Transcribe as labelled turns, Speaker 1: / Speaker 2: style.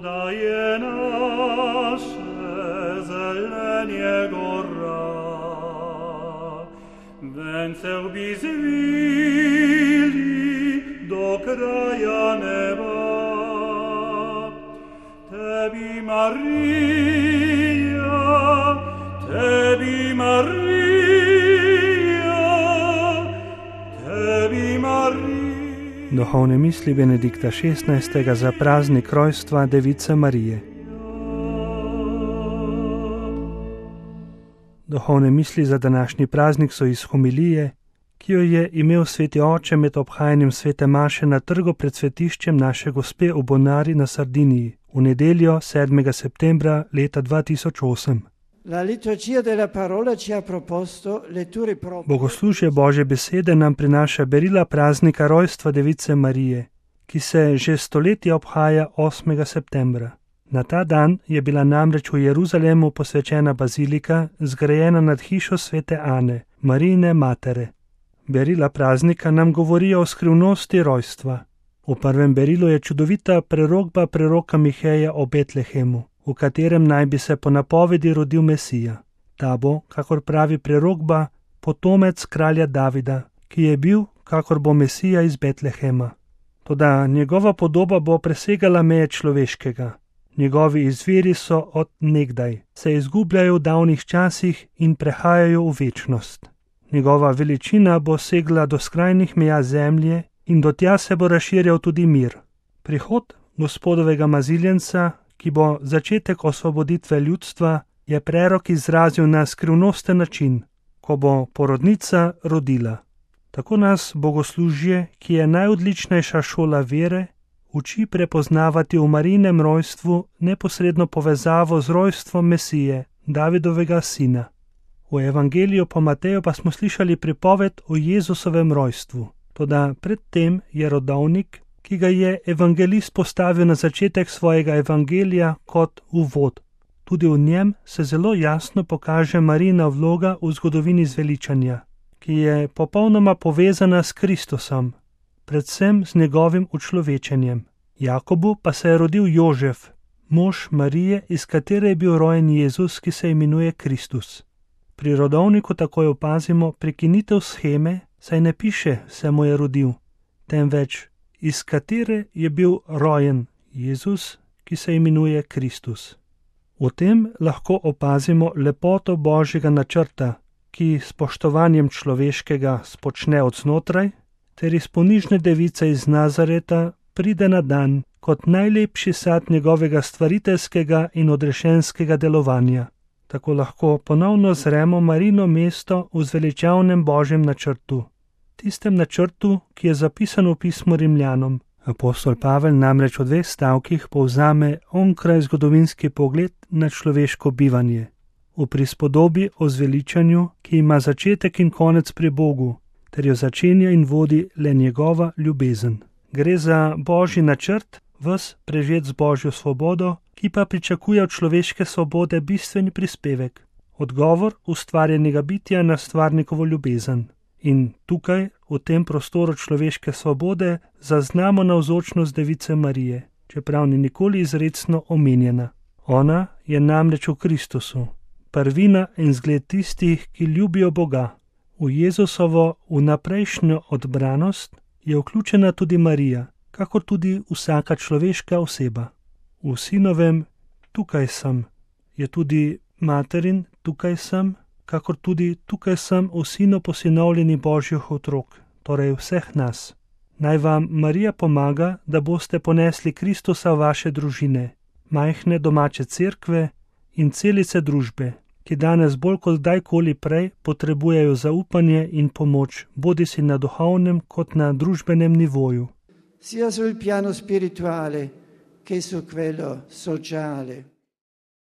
Speaker 1: Podaje nasze zelenie gora, węceł by zwili do kraja neba. Tebi Maria, Tebi Maria, Tebi Maria.
Speaker 2: Duhovne misli Benedikta XVI. Za praznik rojstva Device Marije. Duhovne misli za današnji praznik so iz homilije, ki jo je imel sveti oče med obhajanjem svete maše na trgu pred svetiščem naše Gospe v Bonari na Sardiniji v nedeljo 7. septembra leta 2008. Bogoslužje Božje besede nam prinaša berila praznika rojstva Device Marije, ki se že stoletja obhaja 8. septembra. Na ta dan je bila namreč v Jeruzalemu posvečena bazilika, zgrajena nad hišo svete Ane, Marijine matere. Berila praznika nam govorijo o skrivnosti rojstva. V prvem berilu je čudovita prerokba preroka Miheja o Betlehemu, v katerem naj bi se po napovedi rodil Mesija. Ta bo, kakor pravi prerokba, potomec kralja Davida, ki je bil, kakor bo Mesija iz Betlehema. Toda njegova podoba bo presegala meje človeškega. Njegovi izviri so od nekdaj, se izgubljajo v davnih časih in prehajajo v večnost. Njegova veličina bo segla do skrajnih meja zemlje in do tja se bo razširjal tudi mir. Prihod Gospodovega maziljenca, ki bo začetek osvoboditve ljudstva, je prerok izrazil na skrivnosten način, ko bo porodnica rodila. Tako nas bogoslužje, ki je najodličnejša šola vere, uči prepoznavati v Marijinem rojstvu neposredno povezavo z rojstvom Mesije, Davidovega sina. V Evangeliju po Mateju pa smo slišali pripoved o Jezusovem rojstvu. Toda predtem je rodovnik, ki ga je evangelist postavil na začetek svojega evangelija kot uvod. Tudi v njem se zelo jasno pokaže Marijina vloga v zgodovini zveličanja, ki je popolnoma povezana s Kristusom, predvsem z njegovim učlovečenjem. Jakobu pa se je rodil Jožef, mož Marije, iz katere je bil rojen Jezus, ki se imenuje Kristus. Pri rodovniku takoj opazimo prekinitev sheme, saj ne piše, se mu je rodil, temveč iz katere je bil rojen Jezus, ki se imenuje Kristus. V tem lahko opazimo lepoto Božjega načrta, ki s spoštovanjem človeškega spočne od znotraj, ter iz ponižne device iz Nazareta pride na dan kot najlepši sad njegovega stvariteljskega in odrešenskega delovanja. Tako lahko ponovno zremo Marijino mesto v zveličavnem Božjem načrtu, tistem načrtu, ki je zapisan v pismu Rimljanom. Apostol Pavel namreč v 2 stavkih povzame onkraj zgodovinski pogled na človeško bivanje, v prispodobi o zveličanju, ki ima začetek in konec pri Bogu, ter jo začenja in vodi le njegova ljubezen. Gre za Božji načrt, ves prežet z Božjo svobodo, ki pa pričakuje od človeške svobode bistveni prispevek, odgovor ustvarjenega bitja na stvarnikovo ljubezen. In tukaj, v tem prostoru človeške svobode, zaznamo navzočnost Device Marije, čeprav ni nikoli izrecno omenjena. Ona je namreč v Kristusu, prvina in zgled tistih, ki ljubijo Boga. V Jezusovo vnaprejšnjo odbranost je vključena tudi Marija, kakor tudi vsaka človeška oseba. V sinovem tukaj sem je tudi materin tukaj sem, kakor tudi tukaj sem v sinu posinovljeni Božjih otrok, torej vseh nas. Naj vam Marija pomaga, da boste ponesli Kristusa v vaše družine, majhne domače cerkve in celice družbe, ki danes bolj kot kdajkoli prej potrebujejo zaupanje in pomoč, bodisi na duhovnem kot na družbenem nivoju.
Speaker 3: Sia sul piano spirituale che su quello sociale.